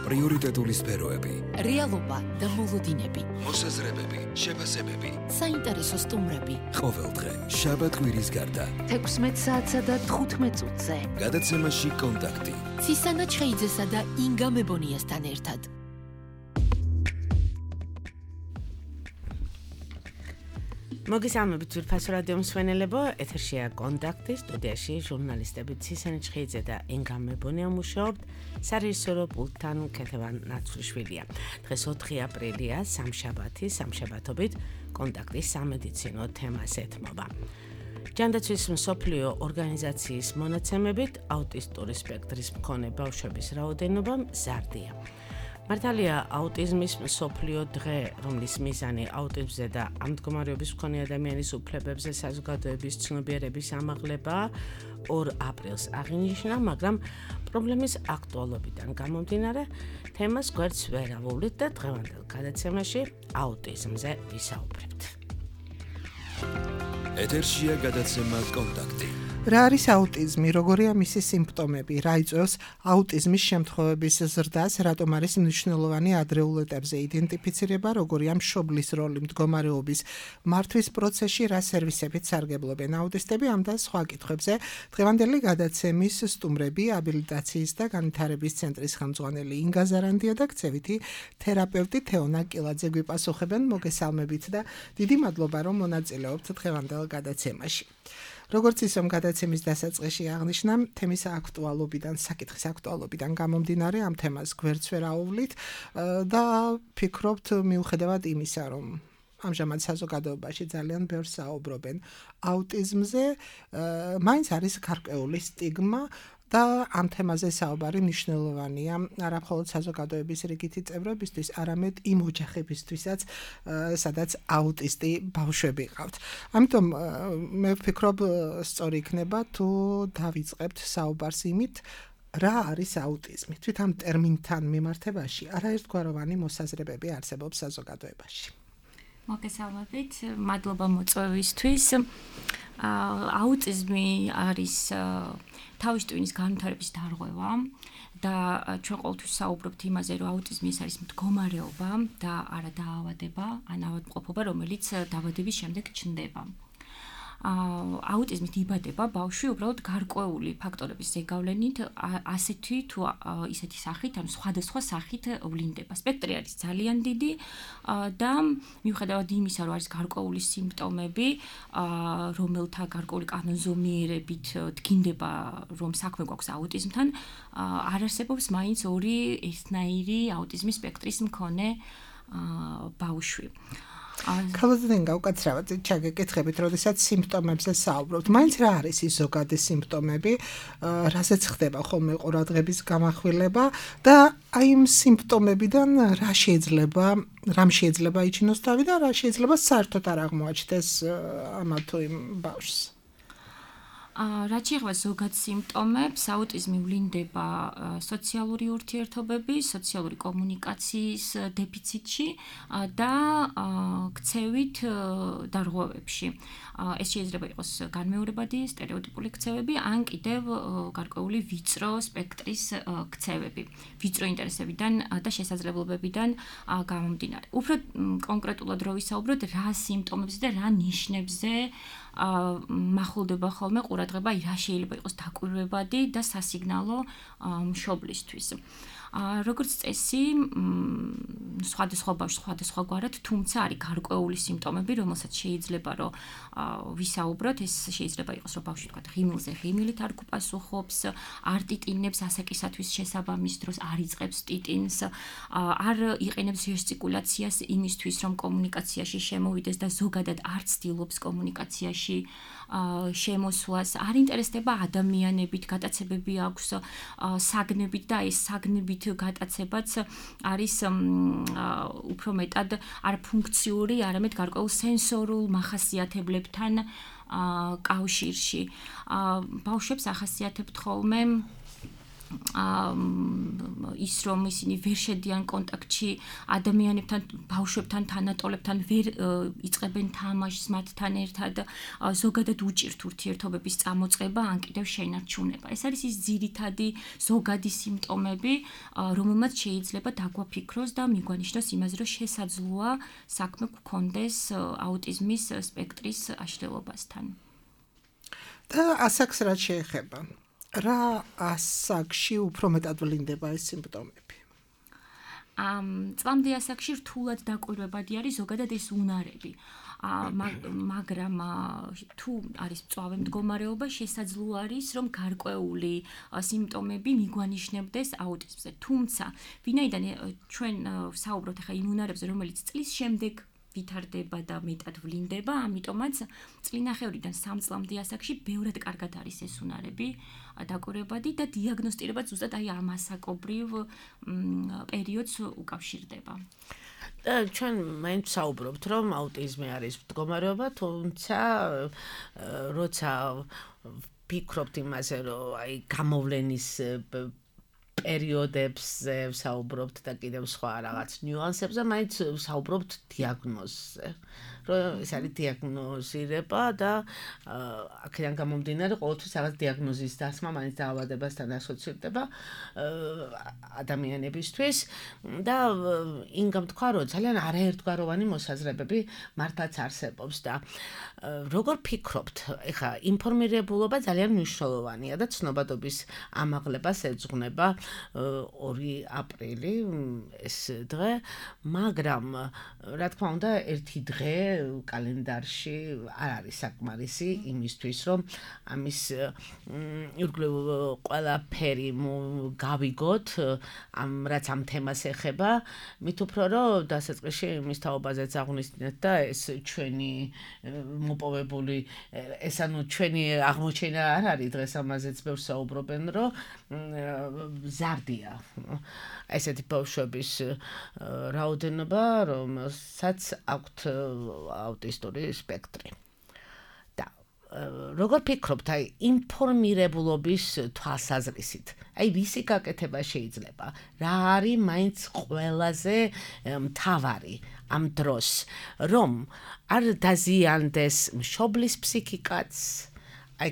პრიორიტეტული სფეროები, რეალობა და მოლოდინები, მოსაზრებები, შეფასებები, საინტერესო სტუმრები. ყოველდღე შაბათ-კვირის გარდა 16 საათსა და 15 წუთზე. გადაცემაში კონტაქტი. ცისანა ჩხეიძესა და ინგა მებონიასთან ერთად. მოგესალმებით ძვირფასო რადიო მსმენელებო, ეთერშია კონტაქტი, სტუდიაში ჟურნალისტები ცისანა ჩხეიძე და ინგა მებონია მუშაობთ, სარეჟისორო პულტთან ქეთევან ნაცვლიშვილია. დღეს 4 აპრილია, სამშაბათობით კონტაქტის სამედიცინო თემას ეთმობა. ჯანდაცვის მსოფლიო ორგანიზაციის მონაცემებით აუტისტური სპექტრის მქონე ბავშვების რაოდენობა მზარდია. მართალია აუტიზმის მსოფლიო დღე, რომლის მიზანი აუტიზმზე და ამ მდგომარეობის მქონე ადამიანის უფლებებზე საზოგადოების ცნობიერების ამაღლებაა, 2 აპრილს აღინიშნა, მაგრამ პრობლემის აქტუალობიდან გამომდინარე, თემას გვერდს ვერ ავუვლით და დღევანდელ გადაცემაში აუტიზმზე ვისაუბრებთ. ეთერშია გადაცემა კონტაქტი. რა არის აუტიზმი, როგორია მისი სიმპტომები, რა იწვევს აუტიზმის შემთხვევების ზრდას, რატომ არის მნიშვნელოვანი ადრეულ ეტაპზე იდენტიფიცირება, როგორია მშობლის როლი მდგომარეობის მართვის პროცესში, რა სერვისებით სარგებლობენ აუტისტები, ამ და სხვა კითხვებზე დღევანდელი გადაცემის სტუმრები, აბილიტაციის და განვითარების ცენტრის ხელმძღვანელი ინგა ზარანდია და ქცევითი თერაპევტი თეონა კილაძე გვიპასუხებენ. მოგესალმებით და დიდი მადლობა, რომ მონაწილეობთ დღევანდელ გადაცემაში. როგორც ისე გადაცემის დასაწყისში აღნიშნა, თემის აქტუალობიდან, საკითხის აქტუალობიდან გამომდინარე, ამ თემას გვერდს ვერ აუვლით და ფიქრობთ მიუხედავად იმისა, რომ ამჟამად საზოგადოებაში ძალიან ბევრს საუბრობენ აუტიზმზე, მაინც არის გარკვეული სტიგმა და ამ თემაზე საუბარი მნიშვნელოვანია არა მხოლოდ საზოგადოების რიგითი წევრებისთვის, არამედ იმ ოჯახებისთვისაც, სადაც აუტისტი ბავშვები ყავთ. ამიტომ მე ვფიქრობ, სწორი იქნება თუ დავიწყებთ საუბარს იმით, რა არის აუტიზმი. თვით ამ ტერმინთან მიმართებაში არაერთგვაროვანი მოსაზრებები არსებობს საზოგადოებაში. მოგესალმებით, მადლობა მოწვევისთვის. აუტიზმი არის თავის ტვინის განვითარების დარღვევა და ჩვენ ყოველთვის საუბრობთ იმაზე, რომ აუტიზმი არის მდგომარეობა და არა დაავადება, ან ავადმყოფობა, რომელიც დაავადების შემდეგ ჩნდება. აუტიზმით იბადება ბავშვი უბრალოდ გარკვეული ფაქტორების ზეგავლენით, ასეთი თუ ისეთი სახით, ანუ სხვადასხვა სახით ვლინდება. სპექტრი არის ძალიან დიდი და მიუხედავად იმისა, რომ არის გარკვეული სიმპტომები, რომელთა გარკვეული კანონზომიერებით დგინდება, რომ საქმე გვაქვს აუტიზმთან, არ არსებობს მაინც 2 ერთნაირი აუტიზმის სპექტრის მქონე ბავშვი. ქალბატონი გაუკაცრავად ჩაგეკითხებით, როდესაც სიმპტომებზე საუბრობთ. მაინც რა არის ის ზოგადი სიმპტომები, რასაც ხდება ხოლმე ყურადღების გამახვილება და აი იმ სიმპტომებიდან რამ შეიძლება იჩინოს თავი და რა შეიძლება საერთოდ არ აღმოაჩნდეს ამა თუ იმ ბავშვს. რაც შეეხება ზოგად სიმპტომებს, აუტიზმი ვლინდება სოციალური ურთიერთობები, სოციალური კომუნიკაციის დეფიციტში და ქცევით დარღვევებში. ეს შეიძლება იყოს განმეორებადი, სტერეოტიპული ქცევები, ან კიდევ გარკვეული ვიწრო სპექტრის ქცევები, ვიწრო ინტერესებიდან და შესაძლებლობებიდან გამომდინარე. უფრო კონკრეტულად რო ვისაუბროთ, რა სიმპტომებზე და რა ნიშნებზე მახულდება ხოლმე ყურადღება, რა შეიძლება იყოს დაკვირვებადი და სასიგნალო მშობლისთვის. როგორც წესი, სხვადასხვა ბავშვს სხვადასხვაგვარად, თუმცა არის გარკვეული სიმპტომები, რომელსაც შეიძლება რომ ვისაუბროთ, ეს შეიძლება იყოს, რომ ბავშვი თქვა ღიმილზე ღიმილით არ გუპასუხობს, არ ტიტინებს ასაკისათვის შესაბამის დროს, არ იწყებს ტიტინს, არ იყენებს ჟესტიკულაციას იმისთვის, რომ კომუნიკაციაში შემოვიდეს და ზოგადად არ ცდილობს კომუნიკაციაში შემოსვლას, არ ინტერესდება ადამიანებით, გატაცებები აქვს საგნებით და ეს საგნებით გატაცებაც არის უფრო მეტად არ ფუნქციური, არამედ გარკვეულ სენსორულ მახასიათებლებთან კავშირში. ბავშვებს ახასიათებთ ხოლმე ის რომ ისინი ვერ შედიან კონტაქტში ადამიანებთან, ბავშვებთან, თანატოლებთან, ვერ იწყებენ თამაშს მათთან ერთად, ზოგადად უჭირთ ურთიერთობების წამოწყება, ან კიდევ შენარჩუნება. ეს არის ის ძირითადი ზოგადი სიმპტომები, რომელმაც შეიძლება დაგვაფიქროს და მიგვანიშნოს იმაზე, რომ შესაძლოა საქმე გქონდეს აუტიზმის სპექტრის აშლილობასთან. და ასაკს რაც შეეხება, რა ასაკში უფრო მეტად ვლინდება ეს სიმპტომები? წლამდე ასაკში რთულად დაკვირვებადი არის ზოგადად ეს უნარები. მაგრამ თუ არის მწვავე მდგომარეობა, შესაძლოა არის, რომ გარკვეული სიმპტომები მიგვანიშნებდეს აუტიზმზე. თუმცა, ვინაიდან ჩვენ საუბრობთ ახლა იმ უნარებზე, რომელიც წლის შემდეგ ვითარდება და მეტად ვლინდება, ამიტომაც წლინახევრიდან 3 წლამდე ასაკში ბევრად კარგად არის ეს უნარები დაკვირვებადი და დიაგნოსტირება ზუსტად აი ამ ასაკობრივ პერიოდს უკავშირდება. ჩვენ მაინც საუბრობთ, რომ აუტიზმი არის მდგომარეობა, თუმცა როცა ვფიქრობთ იმაზე, რომ აი გამოვლენის პერიოდებზე საუბრობთ და კიდევ სხვა რაღაც ნიუანსებზე, მაინც საუბრობთ დიაგნოზზე. რომ ეს არის დიაგნოზირება და აქედან გამომდინარე ყოველთვის რაღაც დიაგნოზის დასმა მაინც დაავადებასთან ასოცირდება ადამიანებისთვის და ინგამ თქვა, რომ ძალიან არაერთგვაროვანი მოსაზრებები მართლაც არსებობს და როგორ ფიქრობთ, ეხლა ინფორმირებულობა ძალიან მნიშვნელოვანია და ცნობადობის ამაღლებას ეძღვნება 2 აპრილი ეს დღე, მაგრამ რა თქმა უნდა ერთი დღე კალენდარში არ არის საკმარისი იმისთვის, რომ ამის ირგვლივ ყველაფერი გავიგოთ, რაც ამ თემას ეხება, მით უფრო რომ დასაწყისში იმის თაობაზეც აღვნიშნეთ და ეს ჩვენი მოპოვებული, ეს ანუ ჩვენი აღმოჩენა არ არის, დღეს ამაზეც ბევრს საუბრობენ, რომ ზარდია ესეთი ბავშვების რაოდენობა, რომელსაც აქვთ აუტისტური სპექტრი. და როგორ ფიქრობთ, აი ინფორმირებულობის თვალსაზრისით, აი რისი გაკეთება შეიძლება? რა არის მაინც ყველაზე მთავარი ამ დროს, რომ არ დაზიანდეს მშობლის ფსიქიკაც, აი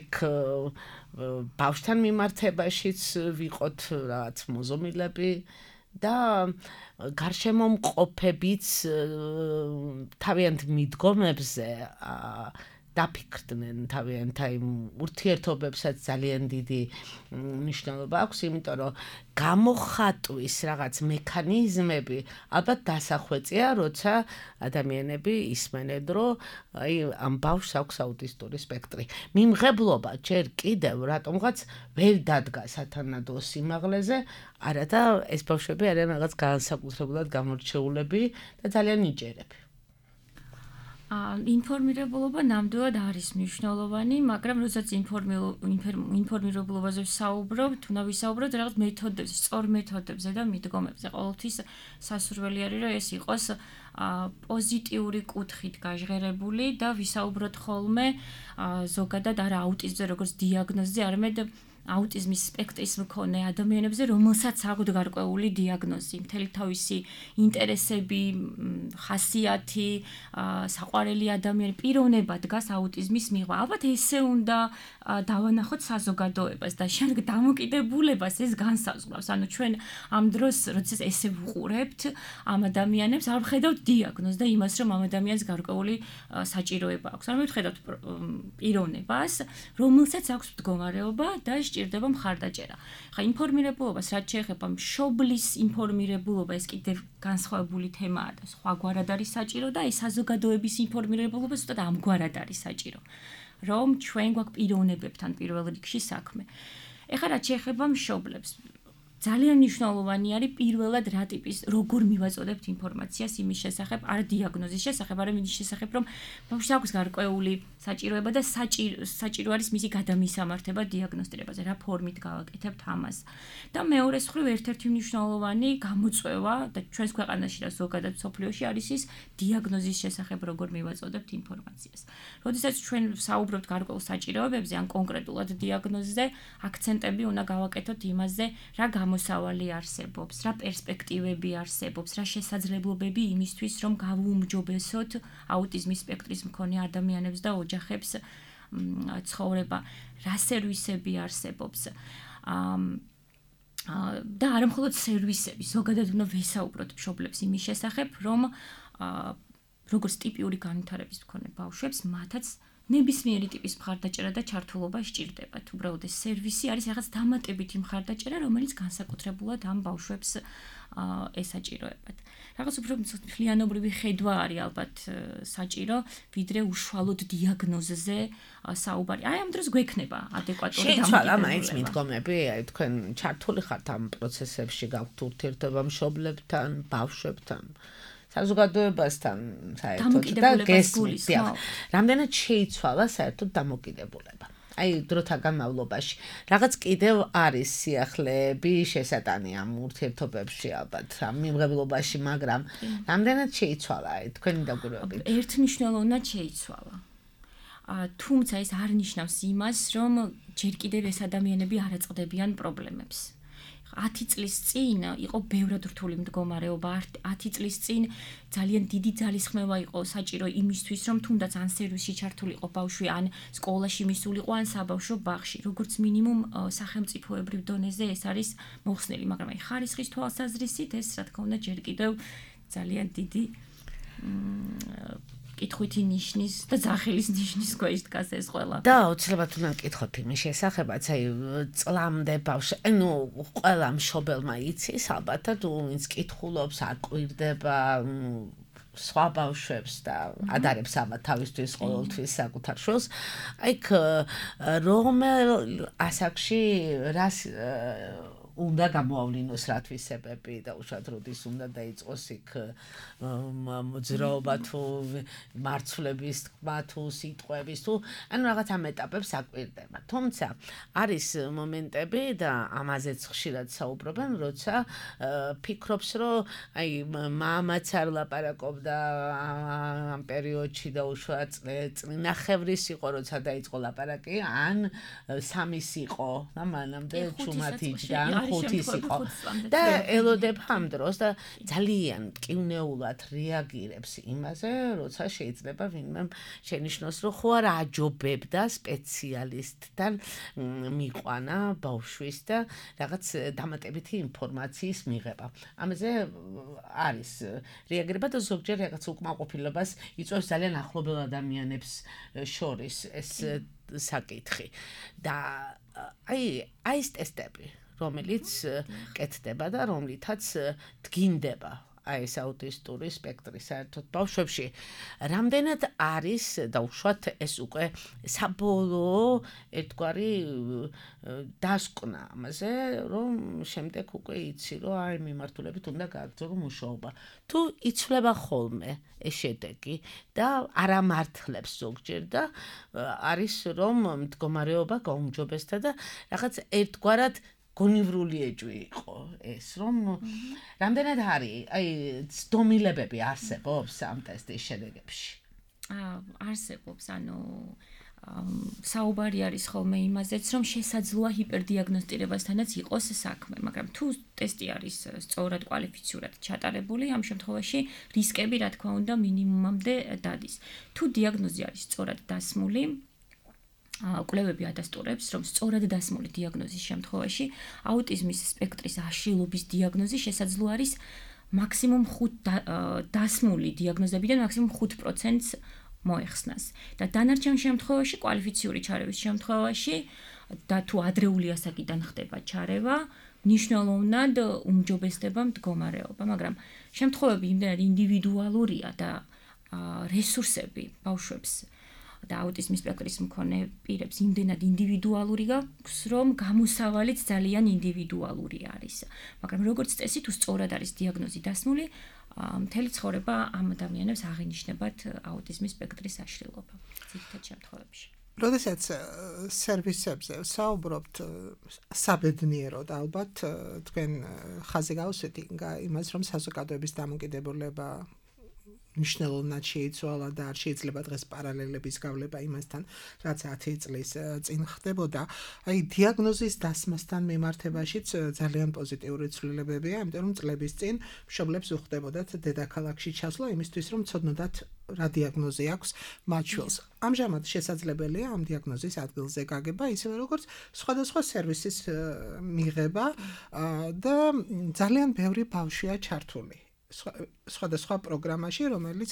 ბავშვთან მიმართებაშიც ვიყოთ რაღაც მოზომილები და გარშემო მყოფებიც თავიანთ მიდგომებზე დაფიქრდნენ თავიანთ აი ურთიერთობებსაც ძალიან დიდი მნიშვნელობა აქვს, იმიტომ რომ გამოხატვის რაღაც მექანიზმები ალბათ დასახვეწია, როცა ადამიანები ისმენენ, რომ აი ამ ბავშვს აქვს აუტისტური სპექტრი. მიმღებლობა ჯერ კიდევ რატომღაც ვერ დადგა სათანადო სიმაღლეზე, არა და ეს ბავშვები არიან რაღაც განსაკუთრებულად გამორჩეულები და ძალიან ნიჭიერები. ინფორმირებულობა ნამდვილად არის მნიშვნელოვანი, მაგრამ როდესაც ინფორმირებულობაზე ვსაუბრობთ, უნდა ვისაუბროთ რაღაც მეთოდებზე, სწორ მეთოდებზე და მიდგომებზე. ყოველთვის სასურველი არის, რომ ეს იყოს პოზიტიური კუთხით გაჟღერებული და ვისაუბროთ ხოლმე ზოგადად არა აუტიზმზე, როგორც დიაგნოზზე, არამედ აუტიზმის სპექტრის მქონე ადამიანებზე, რომელსაც აქვთ გარკვეული დიაგნოზი, მთელი თავისი ინტერესები, ხასიათი, საყვარელი ადამიანი, პიროვნება დგას აუტიზმის მიღმა. ალბათ ესე უნდა დავანახოთ საზოგადოებას და შემდეგ დამოკიდებულებას ეს განსაზღვრავს. ანუ ჩვენ ამ დროს, როდესაც ესე ვუყურებთ ამ ადამიანებს, არ ვხედავთ დიაგნოზს და იმას, რომ ამ ადამიანს გარკვეული საჭიროება აქვს. ანუ ვხედავთ პიროვნებას, რომელსაც აქვს მდგომარეობა და ჭირდება მხარდაჭერა. ხა ინფორმირებულობას რაც შეეხება მშობლის ინფორმირებულობა, ეს კიდევ განსხვავებული თემაა და სხვაგვარად არის საჭირო და ეს საზოგადოების ინფორმირებულობა ზუსტად ამგვარად არის საჭირო. რომ ჩვენ გვაქვს პიროვნებებთან პირველ რიგში საქმე. ეხლა რაც შეეხება მშობლებს, ძალიან მნიშვნელოვანი არის პირველად რა ტიპის, როგორ მივაწოდებთ ინფორმაციას იმის შესახებ, არა დიაგნოზის შესახებ, არამედ იმის შესახებ, რომ ბავშვს აქვს გარკვეული საჭიროება და საჭირო არის მისი გადამისამართება დიაგნოსტირებაზე, რა ფორმით გავაკეთებთ ამას. და მეორე მხრივ ერთ-ერთი მნიშვნელოვანი გამოწვევა და ჩვენს ქვეყანაში და ზოგადად მსოფლიოში არის ის დიაგნოზის შესახებ, როგორ მივაწოდებთ ინფორმაციას. როდესაც ჩვენ საუბრობთ გარკვეულ საჭიროებებზე ან კონკრეტულად დიაგნოზზე, აქცენტები უნდა გავაკეთოთ იმაზე, რა გამოსავალი არსებობს, რა პერსპექტივები არსებობს, რა შესაძლებლობები იმისთვის, რომ გავუმჯობესოთ აუტიზმის სპექტრის მქონე ადამიანებს და ოჯახებს ცხოვრება, რა სერვისები არსებობს. და არა მხოლოდ სერვისები, ზოგადად უნდა ვესაუბროთ მშობლებს იმის შესახებ, რომ როგორც ტიპიური განვითარების მქონე ბავშვებს, მათაც ნებისმიერი ტიპის მხარდაჭერა და ჩართულობა სჭირდებათ. უბრალოდ ეს სერვისი არის რაღაც დამატებითი მხარდაჭერა, რომელიც განსაკუთრებულად ამ ბავშვებს ესაჭიროებათ. რაღაც უფრო მთლიანობრივი ხედვა არის ალბათ საჭირო, ვიდრე უშუალოდ დიაგნოზზე საუბარი. აი ამ დროს გვექნება ადეკვატური დამოკიდებულება. შეიცვალა მაინც მიდგომები, აი თქვენ ჩართული ხართ ამ პროცესებში, გაქვთ ურთიერთობა მშობლებთან, ბავშვებთან. საზოგადოებასთან საერთოდ და გესმით. რამდენად შეიცვალა საერთოდ დამოკიდებულება? აი დროთა განმავლობაში რაღაც კიდევ არის სიახლეები შესატანი ამ ურთიერთობებში ალბათ ამ მიმღებლობაში, მაგრამ რამდენად შეიცვალა აი თქვენი დაკვირვებით? ერთმნიშვნელოვნად შეიცვალა. თუმცა ეს არ ნიშნავს იმას, რომ ჯერ კიდევ ეს ადამიანები არ აწყდებიან პრობლემებს. 10 წლის წინ იყო ბევრად რთული მდგომარეობა, 10 წლის წინ ძალიან დიდი ძალისხმევა იყო საჭირო იმისთვის, რომ თუნდაც ან სერვისში ჩართულიყო ბავშვი, ან სკოლაში მისულიყო, ან საბავშვო ბაღში. როგორც მინიმუმ სახელმწიფოებრივ დონეზე ეს არის მოხსნილი, მაგრამ აი ხარისხის თვალსაზრისით ეს რა თქმა უნდა ჯერ კიდევ ძალიან დიდი კითხვითი ნიშნის და ძახილის ნიშნის ქვეშ დგას ეს ყველა. და აუცილებლად უნდა გკითხოთ იმის შესახებაც, აი წლამდე ბავშვი, ანუ ყველა მშობელმა იცის ალბათ, თუ ვინც კითხულობს, არ კვირდება სხვა ბავშვებს და ადარებს ალბათ თავისთვის ყოველთვის საკუთარ შვილს. აი რომელ ასაკში რას უნდა გამოავლინოს რა თვისებები და უშუალოდ როდის უნდა დაიწყოს იქ მოძრაობა თუ მარცვლების თქმა თუ სიტყვების თუ ანუ რაღაც ამ ეტაპებს აკვირდება. თუმცა არის მომენტები და ამაზეც ხშირად საუბრობენ, როცა ფიქრობს, რომ აი მამაც არ ლაპარაკობდა ამ პერიოდში და უშუალოდ წინახევრის იყო, როცა დაიწყო ლაპარაკი, ან სამის იყო და მანამდე ჩუმად იჯდა. ხუთის იყო და ელოდებ ამ დროს და ძალიან მტკივნეულად რეაგირებს იმაზე, როცა შეიძლება ვინმე შენიშნოს, რომ ხო არ აჯობებდა სპეციალისტთან მიყვანა ბავშვის და რაღაც დამატებითი ინფორმაციის მიღება. ამაზე არის რეაგირება და ზოგჯერ რაღაც უკმაყოფილებას იწვევს ძალიან ახლობელ ადამიანებს შორის ეს საკითხი. და აი ეს ტესტები რომელიც კეთდება და რომლითაც დგინდება აი ეს აუტისტური სპექტრი საერთოდ ბავშვებში. რამდენად არის და უშუალოდ ეს უკვე საბოლოო ერთგვარი დასკვნა ამაზე, რომ შემდეგ უკვე იცი, რომ აი მიმართულებით უნდა გააგრძელო მუშაობა. თუ იცვლება ხოლმე ეს შედეგი და არ ამართლებს ზოგჯერ და არის რომ მდგომარეობა გაუმჯობესდა და რაღაც ერთგვარად გონივრული ეჭვი იყო ეს, რომ რამდენად არის, აი, ცდომილებები არსებობს ამ ტესტის შედეგებში? არსებობს, ანუ საუბარი არის ხოლმე იმაზეც, რომ შესაძლოა ჰიპერდიაგნოსტირებასთანაც იყოს საქმე, მაგრამ თუ ტესტი არის სწორად კვალიფიციურად ჩატარებული, ამ შემთხვევაში რისკები, რა თქმა უნდა, მინიმუმამდე დადის. თუ დიაგნოზი არის სწორად დასმული, კვლევები ადასტურებს, რომ სწორად დასმული დიაგნოზის შემთხვევაში აუტიზმის სპექტრის აშლილობის დიაგნოზი შესაძლოა არის მაქსიმუმ 5 დასმული დიაგნოზებიდან მაქსიმუმ 5%-ს მოეხსნას. და დანარჩენ შემთხვევაში, კვალიფიციური ჩარევის შემთხვევაში და თუ ადრეული ასაკიდან ხდება ჩარევა, მნიშვნელოვნად უმჯობესდება მდგომარეობა, მაგრამ შემთხვევები იმდენად ინდივიდუალურია და რესურსები ბავშვებს და აუტიზმის სპექტრის მქონე პირებს იმდენად ინდივიდუალური გაქვს, რომ გამოსავალიც ძალიან ინდივიდუალური არის. მაგრამ როგორც წესი, თუ სწორად არის დიაგნოზი დასმული, მთელი ცხოვრება ამ ადამიანებს აღინიშნებათ აუტიზმის სპექტრის აშლილობა ძირითად შემთხვევებში. როდესაც სერვისებზე საუბრობთ საბედნიეროდ ალბათ თქვენ ხაზი გავუსვით იმას, რომ საზოგადოების დამოკიდებულება მნიშვნელოვნად შეიცვალა და არ შეიძლება დღეს პარალელების გავლება იმასთან, რაც 10 წლის წინ ხდებოდა. აი დიაგნოზის დასმასთან მიმართებაშიც ძალიან პოზიტიური ცვლილებებია, იმიტომ რომ წლების წინ მშობლებს უხდებოდათ დედაქალაქში ჩასვლა იმისთვის, რომ ცოდნოდათ რა დიაგნოზი აქვს მათ შვილს. ამჟამად შესაძლებელია ამ დიაგნოზის ადგილზე გაგება, ისევე როგორც სხვადასხვა სერვისის მიღება და ძალიან ბევრი ბავშვია ჩართული სხვადასხვა პროგრამაში, რომელიც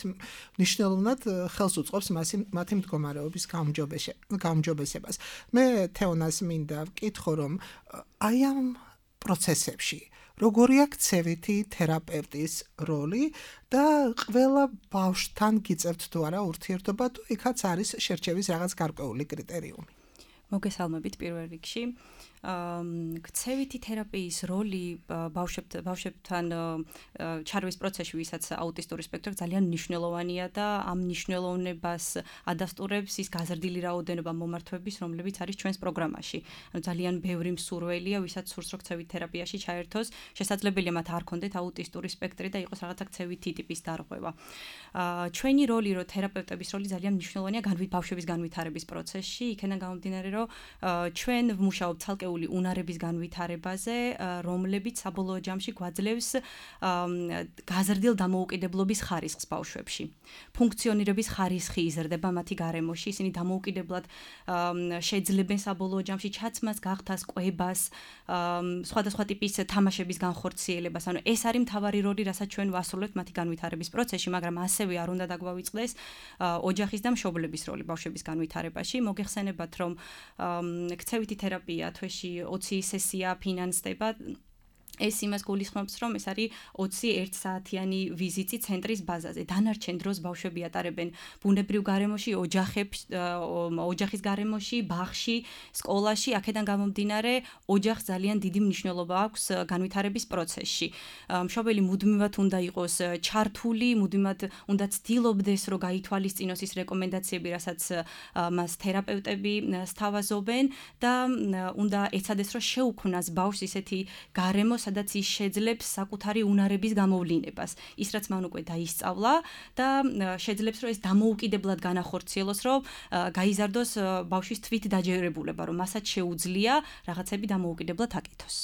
მნიშვნელოვნად ხელს უწყობს მათი მდგომარეობის გაუმჯობესებას. მე თეონას მინდა ვკითხო, რომ აი ამ პროცესებში როგორია ქცევითი თერაპევტის როლი და ყველა ბავშვთან გიწევთ თუ არა ურთიერთობა, თუ იქაც არის შერჩევის რაღაც გარკვეული კრიტერიუმი. მოგესალმებით პირველ რიგში. ქცევითი თერაპიის როლი ბავშვებთან ჩარვის პროცესში, ვისაც აუტისტური სპექტრი ძალიან მნიშვნელოვანია და ამ მნიშვნელოვნებას ადასტურებს ის გაზრდილი რაოდენობა მომართვების, რომლებიც არის ჩვენს პროგრამაში. ძალიან ბევრი მსურველია, ვისაც სურს რომ ქცევით თერაპიაში ჩაერთოს, შესაძლებელია მათ არ ქონდეთ აუტისტური სპექტრი და იყოს რაღაცა ქცევითი ტიპის დარღვევა. ჩვენი როლი, რომ თერაპევტების როლი ძალიან მნიშვნელოვანია ბავშვების განვითარების პროცესში, იქიდან გამომდინარე, რომ ჩვენ ვმუშაობთ ცალკეულ უნარების განვითარებაზე, რომლებიც საბოლოო ჯამში გვაძლევს გაზრდილ დამოუკიდებლობის ხარისხს ბავშვებში. ფუნქციონირების ხარისხი იზრდება მათი გარემოში, ისინი დამოუკიდებლად შეძლებენ საბოლოო ჯამში ჩაცმას, გახდას, კვებას, სხვადასხვა ტიპის თამაშების განხორციელებას. ანუ ეს არის მთავარი როლი, რასაც ჩვენ ვასრულებთ მათი განვითარების პროცესში, მაგრამ ასევე არ უნდა დაგვავიწყდეს ოჯახის და მშობლების როლი ბავშვების განვითარებაში. მოგეხსენებათ, რომ ქცევითი თერაპია თვეში 20 სესია ფინანსდება. ეს იმას გულისხმობს, რომ ეს არის 21 საათიანი ვიზიტი ცენტრის ბაზაზე. დანარჩენ დროს ბავშვები ატარებენ ბუნებრივ გარემოში, ოჯახის გარემოში, ბაღში, სკოლაში. აქედან გამომდინარე, ოჯახს ძალიან დიდი მნიშვნელობა აქვს განვითარების პროცესში. მშობელი მუდმივად უნდა იყოს ჩართული, მუდმივად უნდა ცდილობდეს, რომ გაითვალისწინოს ის რეკომენდაციები, რასაც მას თერაპევტები სთავაზობენ და უნდა ეცადეს, რომ შეუქმნას ბავშვს ისეთი გარემო, სადაც ის შეძლებს საკუთარი უნარების გამოვლინებას. ის რაც მან უკვე დაისწავლა და შეძლებს, რომ ეს დამოუკიდებლად განახორციელოს, რომ გაიზარდოს ბავშვის თვით დაჯერებულება, რომ მასაც შეუძლია რაღაცები დამოუკიდებლად აკეთოს.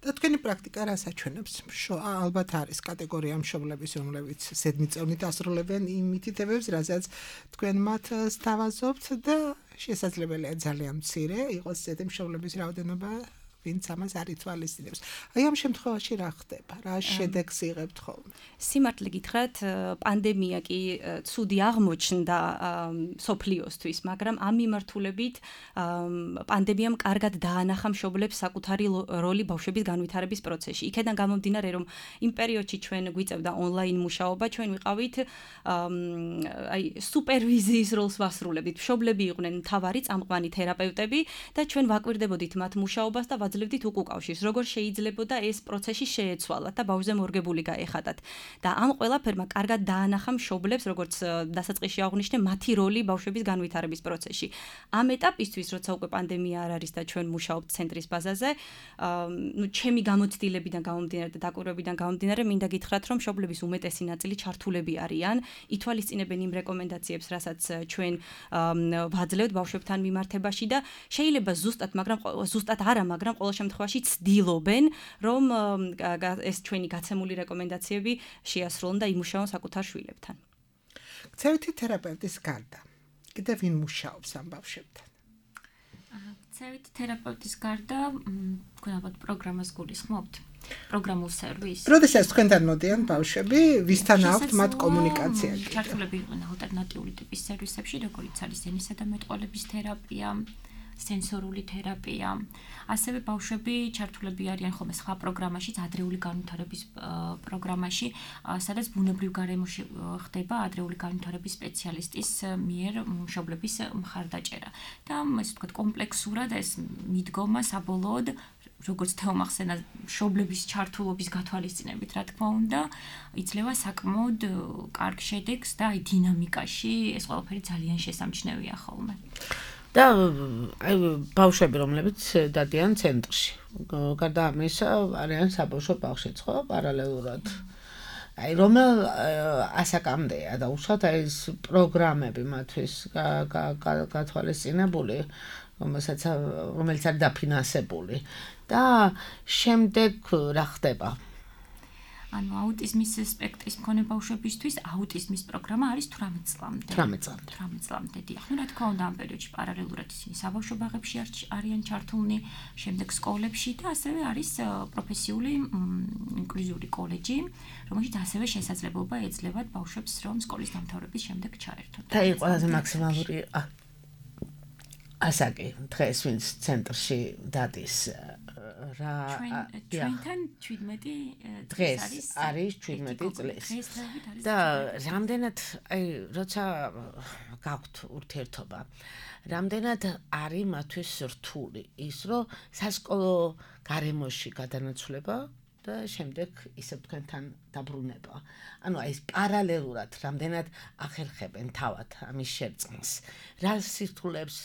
და თქვენი პრაქტიკა რას აჩვენებს? ალბათ არის კატეგორია მშობლების, რომლებიც ზედმიწევნით ასრულებენ იმ მითითებებს, რასაც თქვენ მათ სთავაზობთ და შესაძლებელია ძალიან მცირე იყოს ზედი მშობლების რაოდენობა, ვინც ამას არ ითვალისწინებს. აი ამ შემთხვევაში რა ხდება? რა შედეგს იღებთ ხოლმე? სიმართლე გითხრათ, პანდემია კი ცუდი აღმოჩნდა სოფლიოსთვის, მაგრამ ამ მიმართულებით პანდემიამ კარგად დაანახა მშობლებს საკუთარი როლი ბავშვების განვითარების პროცესში. იქიდან გამომდინარე, რომ იმ პერიოდში ჩვენ გვიწევდა ონლაინ მუშაობა, ჩვენ ვიყავით აი სუპერვიზიის როლს ვასრულებდით. მშობლები იყვნენ მთავარი წამყვანი თერაპევტები და ჩვენ ვაკვირდებოდით მათ მუშაობას და ვაძლევდით უკავშირს, როგორ შეიძლებოდა ეს პროცესი შეეცვალათ და ბავშვზე მორგებული გაეხადათ. და ამ ყველაფერმა კარგად დაანახა მშობლებს, როგორც დასაწყისში აღვნიშნე, მათი როლი ბავშვების განვითარების პროცესში. ამ ეტაპისთვის, როცა უკვე პანდემია არ არის და ჩვენ მუშაობთ ცენტრის ბაზაზე, ჩემი გამოცდილებიდან გამომდინარე და დაკვირვებიდან გამომდინარე, მინდა გითხრათ, რომ მშობლების უმეტესი ნაწილი ჩართულები არიან, ითვალისწინებენ იმ რეკომენდაციებს, რასაც ჩვენ ვაძლევთ ბავშვებთან მიმართებაში და შეიძლება ზუსტად არა, მაგრამ ყოველ შემთხვევაში ცდილობენ, რომ ეს ჩვენი გაცემული რეკომენდაციები შეასრულონ და იმუშაონ საკუთარ შვილებთან. ქცევითი თერაპევტის გარდა, კიდევ ვინ მუშაობს ამ ბავშვებთან? ქცევითი თერაპევტის გარდა, თქვენ ალბათ პროგრამას გულისხმობთ? პროგრამულ სერვისს. როდესაც თქვენთან მოდიან ბავშვები, ვისთან აქვთ მათ კომუნიკაცია? ჩართულები იყვნენ ალტერნატიული ტიპის სერვისებში, როგორიც არის ენისა და მეტყველების თერაპია, სენსორული თერაპია. ასევე ბავშვები ჩართულები არიან ხოლმე სხვა პროგრამაშიც, ადრეული განვითარების პროგრამაში, სადაც ბუნებრივ გარემოში ხდება ადრეული განვითარების სპეციალისტის მიერ მშობლების მხარდაჭერა. და ესე ვთქვათ, კომპლექსურად ეს მიდგომა საბოლოოდ, როგორც თეომახსენა მშობლების ჩართულობის გათვალისწინებით, რა თქმა უნდა, იძლევა საკმაოდ კარგ შედეგს და აი დინამიკაში ეს ყველაფერი ძალიან შესამჩნევია ხოლმე. და აი ბავშვები, რომლებიც დადიან ცენტრში. გარდა ამისა, არიან საბავშვო ბაღშიც, ხო, პარალელურად. აი რომელ ასაკამდეა და უშუალოდ აი ეს პროგრამები მათთვის გათვალისწინებული, რომელიც არის დაფინანსებული და შემდეგ რა ხდება? ანუ აუტიზმის სპექტრის მქონე ბავშვებისთვის აუტიზმის პროგრამა არის 18 წლამდე. 18 წლამდე. დიახ, რა თქმა უნდა, ამ პერიოდში პარალელურად ისინი საბავშვო ბაღებში არიან ჩართულნი, შემდეგ სკოლებში და ასევე არის პროფესიული ინკლუზიური კოლეჯი, რომელშიც ასევე შესაძლებლობა ეძლევათ ბავშვებს, რომ სკოლის დამთავრების შემდეგ ჩაერთონ. და ის ყველაზე მაქსიმალური ასაკი დღეს ვინც ცენტრში დადის ჩვენთან 17 დღეს არის 17 წლის და რამდენად აი როცა გაქვთ ურთიერთობა რამდენად არის მათთვის რთული ის რომ სასკოლო გარემოში გადანაცვლება და შემდეგ ისევ თქვენთან დაბრუნება. ანუ აი ეს პარალელურად რამდენად ახერხებენ თავად ამის შერწყმას. რა სირთულებს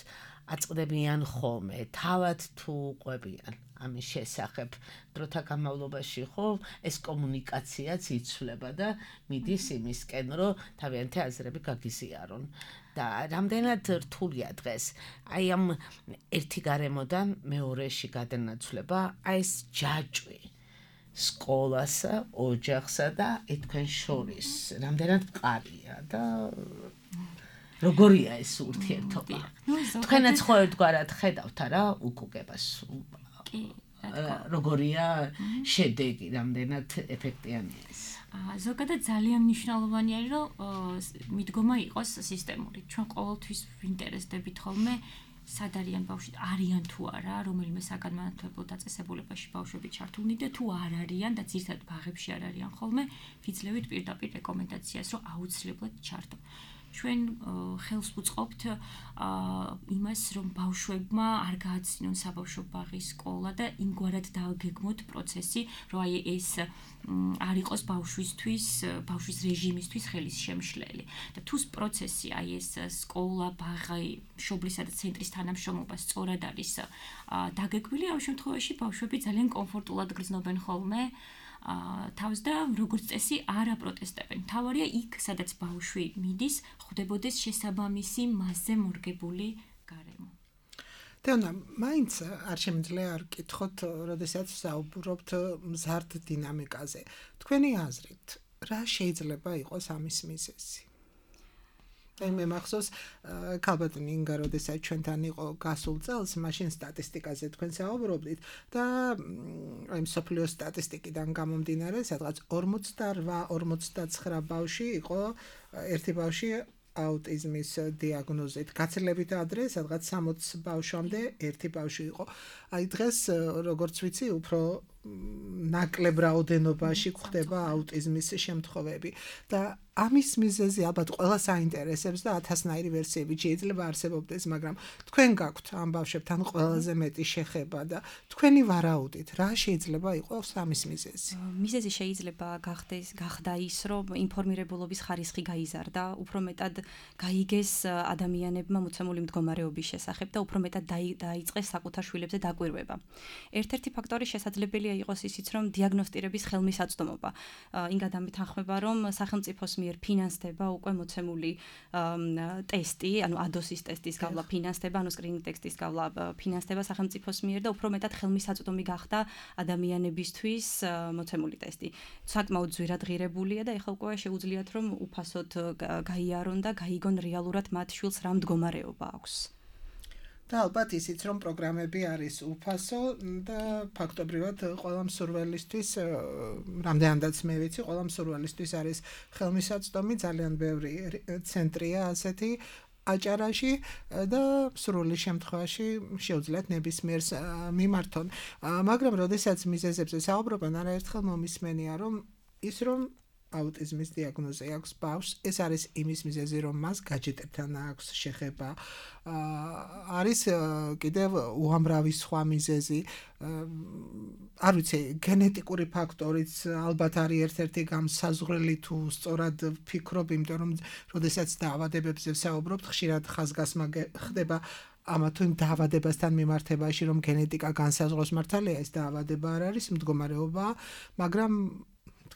აწყდებიან ხოლმე, თავად თუ ყვებიან ამის შესახებ დროთა განმავლობაში ხო ეს კომუნიკაციაც იცვლება და მიდის იმისკენ რომ თავიანთი აზრები გაგიზიარონ და რამდენად რთულია დღეს აი ამ ერთი გარემოდან მეორეში გადანაცვლება აი ეს ჯაჭვი სკოლასა, ოჯახსა და თქვენ შორის რამდენად მყარია და როგორია ეს ურთიერთობა? თქვენაც ხო ერთგვარად ხედავთ არა უკუგებას? კი, როგორია შედეგი, რამდენად ეფექტიანია ეს? ზოგადად ძალიან მნიშვნელოვანი არის რომ მიდგომა იყოს სისტემური. ჩვენ ყოველთვის ვინტერესდებით ხოლმე სად არიან ბავშვი, არიან თუ არა, რომელიმე საგანმანათლებლო დაწესებულებაში ბავშვები ჩართულნი და თუ არ არიან და ძირითადად ბაღებში არ არიან ხოლმე, ვიძლევით პირდაპირ რეკომენდაციას, რომ აუცილებლად ჩართონ. ჩვენ ხელს ვუწყობთ იმას, რომ ბავშვებმა არ გააცინონ საბავშვო ბაღის სკოლა და იმგვარად დააგეგმოთ პროცესი, რომ აი ეს არ იყოს ბავშვის რეჟიმისთვის ხელის შემშლელი. და თუ პროცესი აი ეს სკოლა, ბაღი, მშობლისა და ცენტრის თანამშრომლობა სწორად არის დაგეგმილი, ამ შემთხვევაში ბავშვები ძალიან კომფორტულად გრძნობენ ხოლმე თავს და როგორც წესი არ აპროტესტებენ. თავარია იქ, სადაც ბავშვი მიდის, ხვდებოდეს შესაბამისი მასზე მორგებული გარემო. თეონა, მაინც არ შემიძლია არ გკითხოთ, როდესაც საუბრობთ მზარდ დინამიკაზე. თქვენი აზრით, რა შეიძლება იყოს ამის მიზეზი? მე მახსოვს ქალბატონი ნინგა როდესაც ჩვენთან იყო გასულ წელს, მაშინ სტატისტიკაზე თქვენ საუბრობდით და აი მსოფლიოს სტატისტიკიდან გამომდინარე, სადღაც 48-49 ბავშვი იყო ერთი ბავშვი აუტიზმის დიაგნოზით. გაცილებით ადრე, სადღაც 60 ბავშვამდე ერთი ბავშვი იყო. აი დღეს როგორც ვიცი, უფრო ნაკლებ რაოდენობაში გვხდება აუტიზმის შემთხვევები და ამის მიზეზი ალბათ ყველა საინტერესებს და 1000-ნაირი ვერსიები შეიძლება არსებობდეს, მაგრამ თქვენ გაქვთ ამ ბავშვებთან ყველაზე მეტი შეხება და თქვენი ვარაუდით, რა შეიძლება იყოს ამის მიზეზი? მიზეზი შეიძლება გახდა ის, რომ ინფორმირებულობის ხარისხი გაიზარდა, უფრო მეტად გაიგეს ადამიანებმა მოცემული მდგომარეობის შესახებ და უფრო მეტად დაიწყეს საკუთარ შვილებზე დაკვირვება. ერთ-ერთი ფაქტორი შესაძლებელია იყოს ისიც, რომ დიაგნოსტირების ხელმისაწვდომობა. ინგა დამეთანხმება, რომ სახელმწიფოს ფინანსდება უკვე მოცემული ტესტი, ანუ ADOS-ის ტესტის გავლა ფინანსდება, ანუ სკრინინგ ტესტის გავლა ფინანსდება სახელმწიფოს მიერ და უფრო მეტად ხელმისაწვდომი გახდა ადამიანებისთვის მოცემული ტესტი. საკმაოდ ძვირადღირებულია და ეხლა უკვე შეუძლიათ რომ უფასოდ გაიარონ და გაიგონ რეალურად მათ შვილს რა მდგომარეობა აქვს. და ალბათ ისიც რომ პროგრამები არის უფასო და ფაქტობრივად ყველა მსურველისთვის, რამდენადაც მე ვიცი, ყველა მსურველისთვის არის ხელმისაწვდომი, ძალიან ბევრი ცენტრია ასეთი აჭარაში და სრული შემთხვევაში შეუძლიათ ნებისმიერს მიმართონ. მაგრამ როდესაც მიზეზებზე საუბრობენ, არაერთხელ მომისმენია რომ ის რომ აუტიზმის დიაგნოზი აქვს ბავშვს, ეს არის იმის მიზეზი, რომ მას გაჯეტებთან აქვს შეხება. არის კიდევ უამრავი სხვა მიზეზი. არ ვიცი, გენეტიკური ფაქტორიც ალბათ არის ერთ-ერთი განსაზღვრელი თუ სწორად ვფიქრობ, იმიტომ რომ როდესაც დაავადებებზე ვსაუბრობთ, ხშირად ხაზგასმა ხდება ამა თუ იმ დაავადებასთან მიმართებაში, რომ გენეტიკა განსაზღვროს მართალია ეს დაავადება არ არის მდგომარეობა, მაგრამ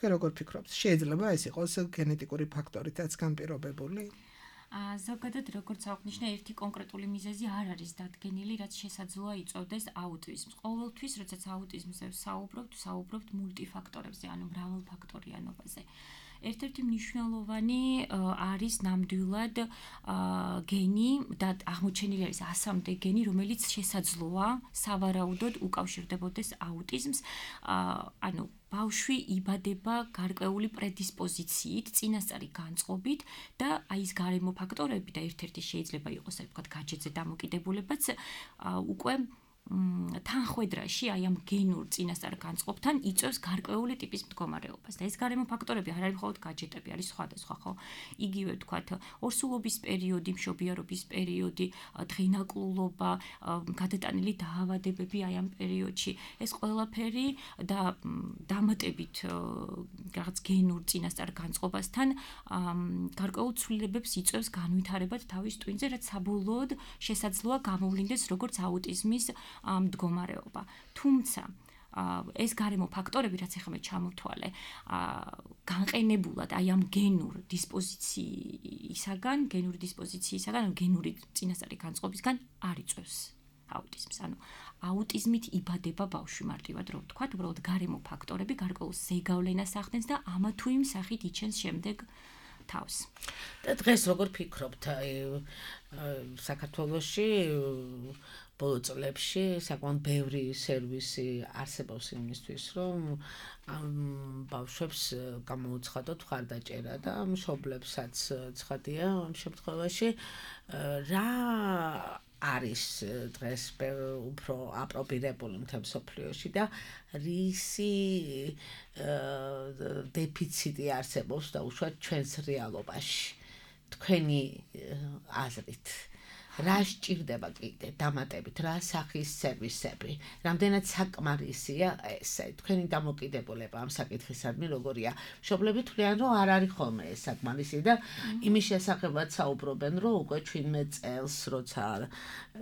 თქვენ როგორ ფიქრობთ? შეიძლება ეს იყოს გენეტიკური ფაქტორითაც განპირობებული? ზოგადად როგორც აღნიშნა, ერთი კონკრეტული მიზეზი არ არის დადგენილი, რაც შესაძლოა იწვევდეს აუტიზმს. ყოველთვის, როდესაც აუტიზმზე ვსაუბრობთ მულტიფაქტორებზე, ანუ მრავალფაქტორიანობაზე. ერთ-ერთი მნიშვნელოვანი არის ნამდვილად გენი და აღმოჩენილი არის 100-მდე გენი, რომელიც შესაძლოა სავარაუდოდ უკავშირდებოდეს აუტიზმს. ანუ ბავშვი იბადება გარკვეული პრედისპოზიციით, წინასწარი განწყობით და აი ეს გარემო ფაქტორები და ერთ-ერთი შეიძლება იყოს, ასე ვთქვათ, გაჯეთზე დამოკიდებულებაც უკვე თანხვედრაში აი ამ გენურ წინასწარ განწყობთან იწვევს გარკვეული ტიპის მდგომარეობას და ეს გარემო ფაქტორები არ არის მხოლოდ გაჯეტები, არის სხვადასხვა, ხო? იგივე ვთქვათ, ორსულობის პერიოდი, მშობიარობის პერიოდი, დღინაკლულობა, გადატანილი დაავადებები აი ამ პერიოდში. ეს ყველაფერი და დამატებით რაღაც გენურ წინასწარ განწყობასთან გარკვეულ ცვლილებებს იწვევს განვითარებად თავის ტვინზე, რაც საბოლოოდ შესაძლოა გამოვლინდეს როგორც აუტიზმის მდგომარეობა. თუმცა ეს გარემო ფაქტორები, რაც ახლა მე ჩამოვთვალე, განყენებულად აი ამ გენური დისპოზიციისაგან, გენური წინასწარი განწყობისგან არ იწვევს აუტიზმს. ანუ აუტიზმით იბადება ბავშვი მარტივად რო ვთქვათ, უბრალოდ გარემო ფაქტორები გარკვეულ ზეგავლენას ახდენს და ამა თუ იმ სახით იჩენს შემდეგ თავს. და დღეს როგორ ფიქრობთ, აი საქართველოში ბოლო წლებში საკმაოდ ბევრი სერვისი არსებობს იმისთვის, რომ ბავშვებს გამოუცხადოთ მხარდაჭერა და მშობლებსაც ცხადია ამ შემთხვევაში. რა არის დღეს უფრო აპრობირებული მთელ მსოფლიოში და რისი დეფიციტი არსებობს და უშუალოდ ჩვენს რეალობაში თქვენი აზრით? რა სჭირდება კიდე დამატებით, რა სახის სერვისები, რამდენად საკმარისია ეს, თქვენი დამოკიდებულება ამ საკითხისადმი როგორია? მშობლები თვლიან, რომ არ არის ხოლმე ეს საკმარისი და იმის შესახებაც საუბრობენ, რომ უკვე 17 წელს, როცა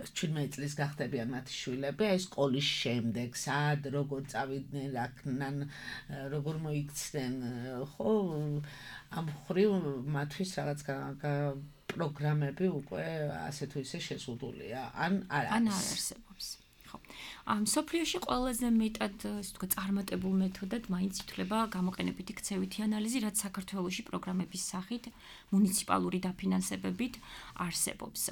17 წლის გახდებიან მათი შვილები, აი სკოლის შემდეგ, სად, როგორ წავიდნენ, რა ქნან, როგორ მოიქცნენ, ხო, ამ მხრივ მათთვის რაღაც პროგრამები უკვე ასე თუ ისე შეზღუდულია, ან არ არსებობს. ხო. მსოფლიოში ყველაზე მეტად, ასე ვთქვათ, წარმატებულ მეთოდად მაინც ითვლება გამოყენებითი ქცევითი ანალიზი, რაც საქართველოში პროგრამების სახით მუნიციპალური დაფინანსებებით არსებობს.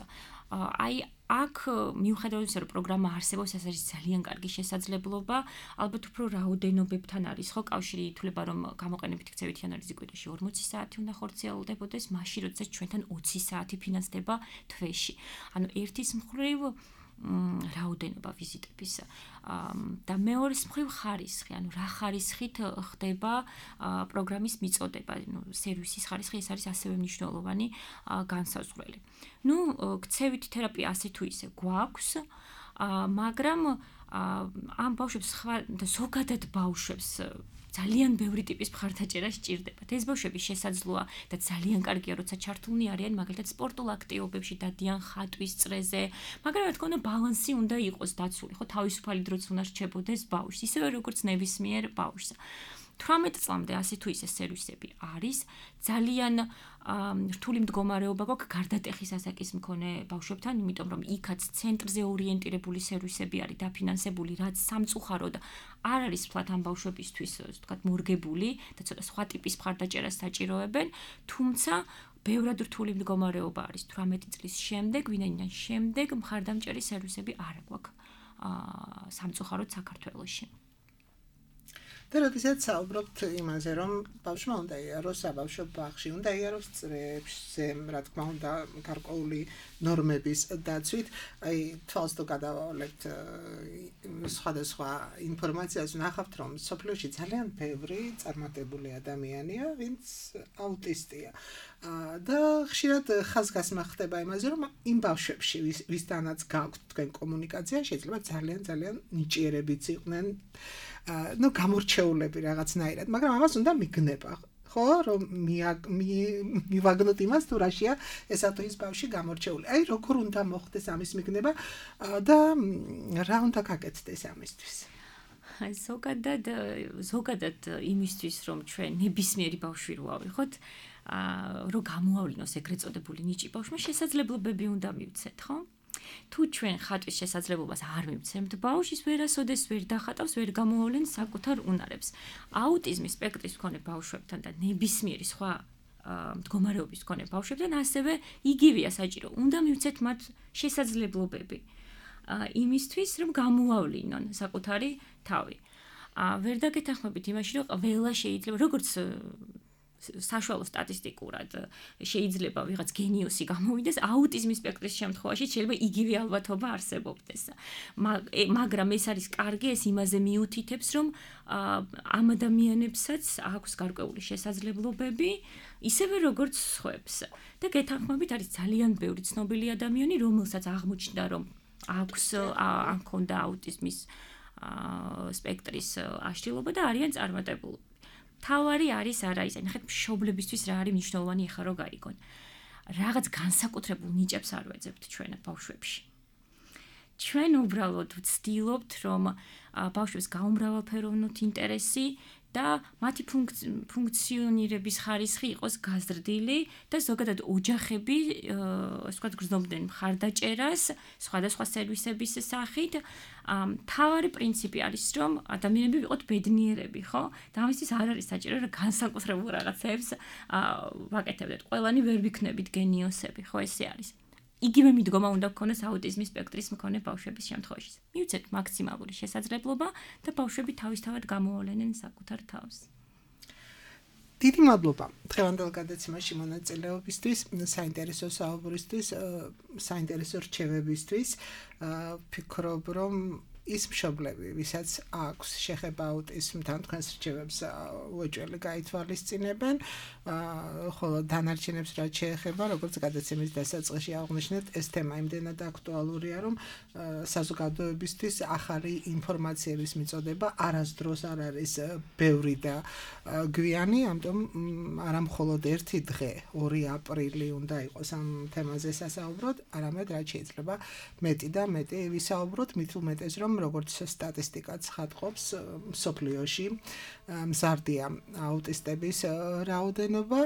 აი აქ მიუხედავად იმისა, რომ პროგრამა არსებობს, ეს არის ძალიან კარგი შესაძლებლობა, ალბათ უფრო რაოდენობებთან არის, ხო, კავშირი ითვლება, რომ გამოყენებითი ქცევითი ანალიზი კვირაში 40 საათი უნდა ხორციელდებოდეს, მაშინ როდესაც ჩვენთან 20 საათი ფინანსდება თვეში. ანუ ერთის მხრივ რაოდენობა ვიზიტების და მეორეს მხრივ ხარისხი, ანუ რა ხარისხით ხდება პროგრამის მიწოდება, სერვისის ხარისხი, ეს არის ასევე მნიშვნელოვანი განსაზღვრელი. ქცევითი თერაპია ასე თუ ისე გვაქვს, მაგრამ ამ ბავშვებს და ზოგადად ბავშვებს ძალიან ბევრი ტიპის მხარდაჭერა სჭირდებათ. ეს ბავშვები შესაძლოა და ძალიან კარგია, როცა ჩართულნი არიან მაგალითად სპორტულ აქტივობებში, დადიან ხატვის წრეზე, მაგრამ რა თქმა უნდა ბალანსი უნდა იყოს დაცული, ხო, თავისუფალი დროც უნდა რჩებოდეს ბავშვს, ისევე როგორც ნებისმიერ ბავშვს. 18 წლამდე ასე თუ ისე სერვისები არის, ძალიან რთული მდგომარეობა გვაქვს გარდატეხის ასაკის მქონე ბავშვებთან, იმიტომ რომ იქაც ცენტრზე ორიენტირებული სერვისები არის დაფინანსებული, რაც სამწუხაროდ არ არის ფლათ ამ ბავშვებისთვის, ვთქვათ, მორგებული და ცოტა სხვა ტიპის მხარდაჭერას საჭიროებენ, თუმცა ბევრად რთული მდგომარეობა არის 18 წლის შემდეგ, ვინაიდან შემდეგ მხარდამჭერი სერვისები არ გვაქვს სამწუხაროდ საქართველოში. და როდესაც საუბრობთ იმაზე, რომ ბავშვმა უნდა იაროს საბავშვო ბაღში, უნდა იაროს წრეებზე, რა თქმა უნდა, გარკვეული ნორმების დაცვით, აი თვალს თუ გადავავლებთ სხვადასხვა ინფორმაციას, ვნახავთ, რომ სოფლიოში ძალიან ბევრი წარმატებული ადამიანია, ვინც აუტისტია. და ხშირად ხაზგასმა ხდება იმაზე, რომ იმ ბავშვებში, ვისთანაც გაქვთ თქვენ კომუნიკაცია, შეიძლება ძალიან ნიჭიერებიც იყვნენ, გამორჩეულები რაღაცნაირად, მაგრამ ამას უნდა მიგნება, ხო, რომ მივაგნოთ იმას, თუ რაშია ესა თუ ის ბავშვი გამორჩეული. აი, როგორ უნდა მოხდეს ამის მიგნება და რა უნდა გაკეთდეს ამისთვის? ზოგადად იმისთვის რომ ჩვენ ნებისმიერი ბავშვი რო ავიღოთ, რომ გამოავლინოს ეგრეთ წოდებული ნიჭი ბავშვმა, შესაძლებლობები უნდა მივცეთ, ხო? თუ ჩვენ ხატვის შესაძლებლობას არ მივცემთ ბავშვის, ვერასოდეს ვერ დახატავს, ვერ გამოავლენს საკუთარ უნარებს. აუტიზმის სპექტრის მქონე ბავშვებთან და ნებისმიერი სხვა მდგომარეობის მქონე ბავშვებთან ასევე იგივეა საჭირო. უნდა მივცეთ მათ შესაძლებლობები იმისთვის, რომ გამოავლინონ საკუთარი თავი. ვერ დაგეთანხმებით იმაში, რომ ყველა შეიძლება, როგორც საშუალო სტატისტიკურად შეიძლება ვიღაც გენიოსი გამოვიდეს, აუტიზმის სპექტრის შემთხვევაში შეიძლება იგივე ალბათობა არსებობდეს. მაგრამ ეს არის კარგი, ეს იმაზე მიუთითებს, რომ ამ ადამიანებსაც აქვს გარკვეული შესაძლებლობები, ისევე როგორც სხვებს. და გეთანხმებით არის ძალიან ბევრი ცნობილი ადამიანი, რომელსაც აღმოჩნდა, რომ აქვს ან ქონდა აუტიზმის სპექტრის აშლილობა და არიან წარმატებულები. თავარი არის არა ის, ნახეთ მშობლებისთვის რა არის მნიშვნელოვანი ახლა რო გაიგონ. რაღაც განსაკუთრებულ ნიჭებს არ ვეძებთ ჩვენ ბავშვებში. ჩვენ უბრალოდ ვცდილობთ, რომ ბავშვებს გაუმრავალფეროვნოთ ინტერესი და მათი ფუნქციონირების ხარისხი იყოს გაზრდილი და ზოგადად ოჯახები, ასე ვთქვათ, გრძნობდნენ მხარდაჭერას სხვადასხვა სერვისების სახით. თავარი პრინციპი არის, რომ ადამიანები ვიყოთ ბედნიერები, ხო? და ამისთვის არ არის საჭირო, რომ განსაკუთრებულ რაღაცებს ვაკეთებდეთ. ყველანი ვერ ვიქნებით გენიოსები, ხო, ესე არის. იგივე მიდგომა უნდა გქონდეს აუტიზმის სპექტრის მქონე ბავშვების შემთხვევაში. მივცეთ მაქსიმალური შესაძლებლობა და ბავშვები თავისთავად გამოავლენენ საკუთარ თავს. დიდი მადლობა დღევანდელ გადაცემაში მონაწილეობისთვის, საინტერესო საუბრისთვის, საინტერესო რჩევებისთვის. ვფიქრობ, რომ ის მშობლები, ვისაც აქვს შეხება აუტიზმთან, თქვენს რჩევებს უეჭველი გაითვალისწინებენ, ხოლო დანარჩენებს რაც შეეხება, როგორც გადაცემის დასაწყისში აღვნიშნეთ, ეს თემა იმდენად აქტუალურია, რომ საზოგადოებისთვის ახალი ინფორმაციების მიწოდება არასდროს არ არის ბევრი და გვიანი, ამიტომ არა მხოლოდ ერთი დღე, 2 აპრილი უნდა იყოს ამ თემაზე სასაუბროთ, არამედ რაც შეიძლება მეტი და მეტი ვისაუბროთ, მით უმეტეს რომ როგორც სტატისტიკაც ხატყობს, მსოფლიოში მზარდია აუტისტების რაოდენობა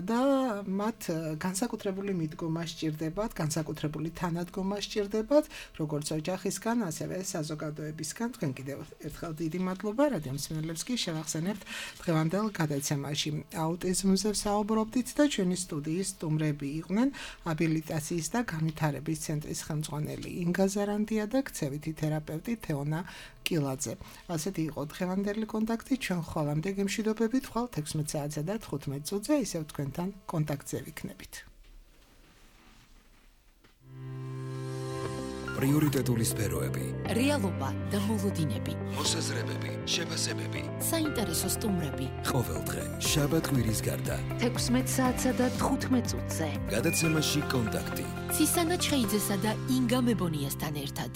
და მათ განსაკუთრებული მიდგომა სჭირდებათ, განსაკუთრებული თანადგომა სჭირდებათ, როგორც ოჯახისგან, ასევე საზოგადოებისგან. თქვენ კიდევ ერთხელ დიდი მადლობა, რადიო მსმენელებს კი შევახსენებთ დღევანდელ გადაცემაში. აუტიზმზე ვსაუბრობდით და ჩვენი სტუდიის სტუმრები იყვნენ აბილიტაციის და განვითარების ცენტრის ხელმძღვანელი ინგა ზარანდია და ქცევითი თერაპევტი თეონა კილაძე. ასეთი იყო დღევანდელი კონტაქტი, ჩვენ ხოლმე გემშვიდობებით ხვალ 16 საათსა და 15 წუთზე ისევ თქვენთან კონტაქტზე ვიქნებით. პრიორიტეტული სფეროები, რეალობა და მოლოდინები, მოსაზრებები, შეფასებები, საინტერესო სტუმრები. ყოველდღე შაბათ-კვირის გარდა 16 საათსა და 15 წუთზე. გადაცემაში კონტაქტი. ცისანა ჩხეიძესა და ინგა მებონიასთან ერთად.